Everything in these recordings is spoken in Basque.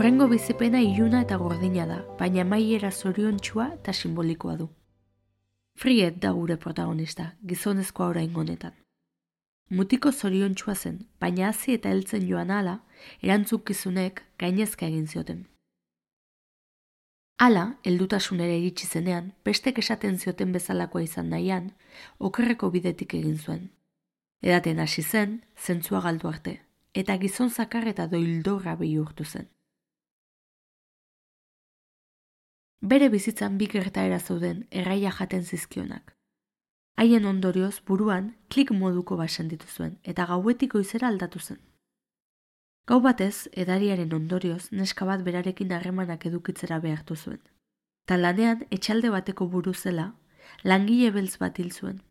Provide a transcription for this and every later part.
Urrengo bizipena iluna eta gordina da, baina amaiera zoriontsua eta simbolikoa du. Friet da gure protagonista, gizonezkoa oraingo honetan. Mutiko zoriontsua zen, baina hazi eta heltzen joan hala, erantzukizunek gainezka egin zioten. Hala, heldutasunera iritsi zenean, bestek esaten zioten bezalakoa izan nahian, okerreko bidetik egin zuen. Edaten hasi zen, zentzua galdu arte, eta gizon zakar eta doildorra bihurtu zen. Bere bizitzan bi gertaera zeuden erraia jaten zizkionak. Haien ondorioz buruan klik moduko bat sentitu zuen eta gauetik goizera aldatu zen. Gau batez, edariaren ondorioz neska bat berarekin harremanak edukitzera behartu zuen. Ta lanean etxalde bateko buru zela, langile beltz bat hil zuen.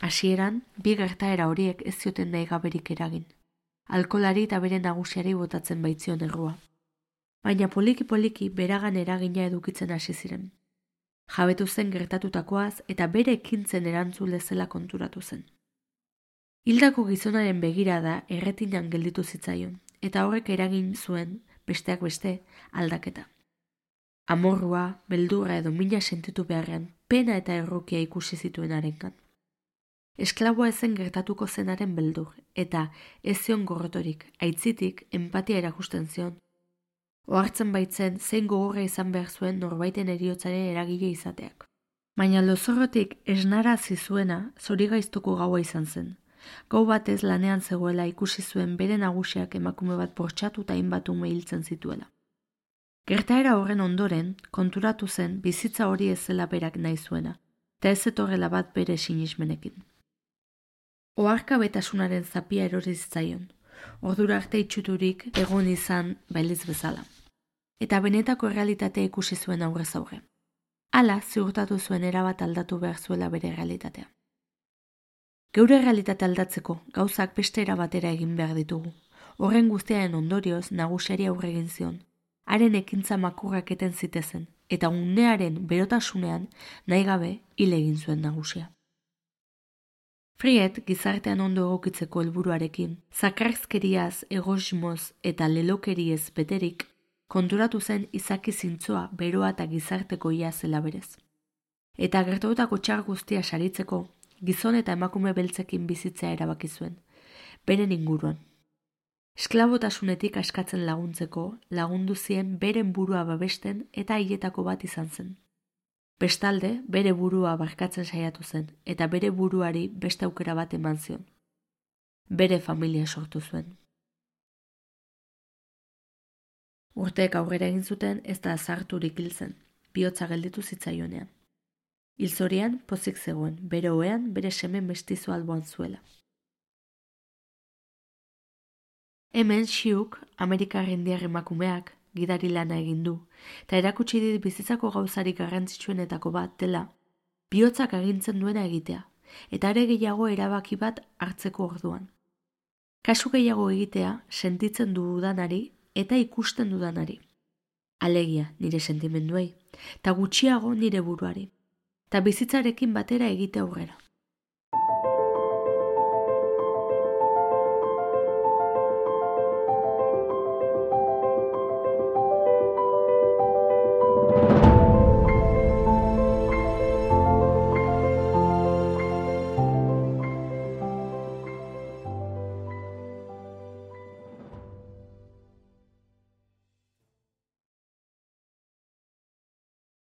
Hasieran, bi gertaera horiek ez zioten nahi gaberik eragin. Alkolari eta bere nagusiari botatzen baitzion errua. Baina poliki-poliki beragan eragina edukitzen hasi ziren. Jabetu zen gertatutakoaz eta bere ekintzen erantzule zela konturatu zen. Hildako gizonaren begirada erretinan gelditu zitzaion, eta horrek eragin zuen, besteak beste, aldaketa. Amorrua, beldurra edo mina sentitu beharrean, pena eta errukia ikusi zituen harengan. Esklaboa ezen gertatuko zenaren beldur, eta ez zion gorrotorik, aitzitik, empatia erakusten zion. Ohartzen baitzen zein gogorra izan behar zuen norbaiten heriotzaren eragile izateak. Baina lozorrotik esnarazi zuena zorigaiztoko gaua izan zen. Gau batez lanean zegoela ikusi zuen bere nagusiak emakume bat bortxatu eta hainbat ume hiltzen zituela. Gertaera horren ondoren konturatu zen bizitza hori ez zela berak nahi zuena, eta ez zetorrela bat bere sinismenekin. Oharkabetasunaren zapia erori zitzaion, ordura arte itxuturik egon izan bailiz bezala. Eta benetako errealitatea ikusi zuen aurrez aurre. Hala ziurtatu zuen erabat aldatu behar zuela bere realitatea. Geure realitatea aldatzeko gauzak beste erabatera egin behar ditugu. Horren guztiaren ondorioz nagusiari aurre egin zion. Haren ekintza makurrak eten zitezen, eta unearen berotasunean nahi gabe hil egin zuen nagusia. Friet gizartean ondo egokitzeko helburuarekin, zakarrizkeriaz, egoismoz eta lelokeriez beterik, konturatu zen izaki zintzoa, beroa eta gizarteko ia zela berez. Eta gertatutako txar guztia saritzeko, gizon eta emakume beltzekin bizitzea erabaki zuen, beren inguruan. Esklabotasunetik askatzen laguntzeko, lagundu zien beren burua babesten eta haietako bat izan zen. Bestalde, bere burua barkatzen saiatu zen, eta bere buruari beste aukera bat eman zion. Bere familia sortu zuen. Urteek aurrera egin zuten ez da azarturik hil zen, bihotza gelditu zitzaionean. Hilzorian pozik zegoen, bere ohean bere seme mestizo alboan zuela. Hemen Xiuk, Amerikar indiar emakumeak, gidari lana egin du, eta erakutsi dit bizitzako gauzarik garrantzitsuenetako bat dela, bihotzak agintzen duena egitea, eta are gehiago erabaki bat hartzeko orduan. Kasu gehiago egitea sentitzen dudanari eta ikusten dudanari. Alegia nire sentimenduei, eta gutxiago nire buruari, eta bizitzarekin batera egite aurrera.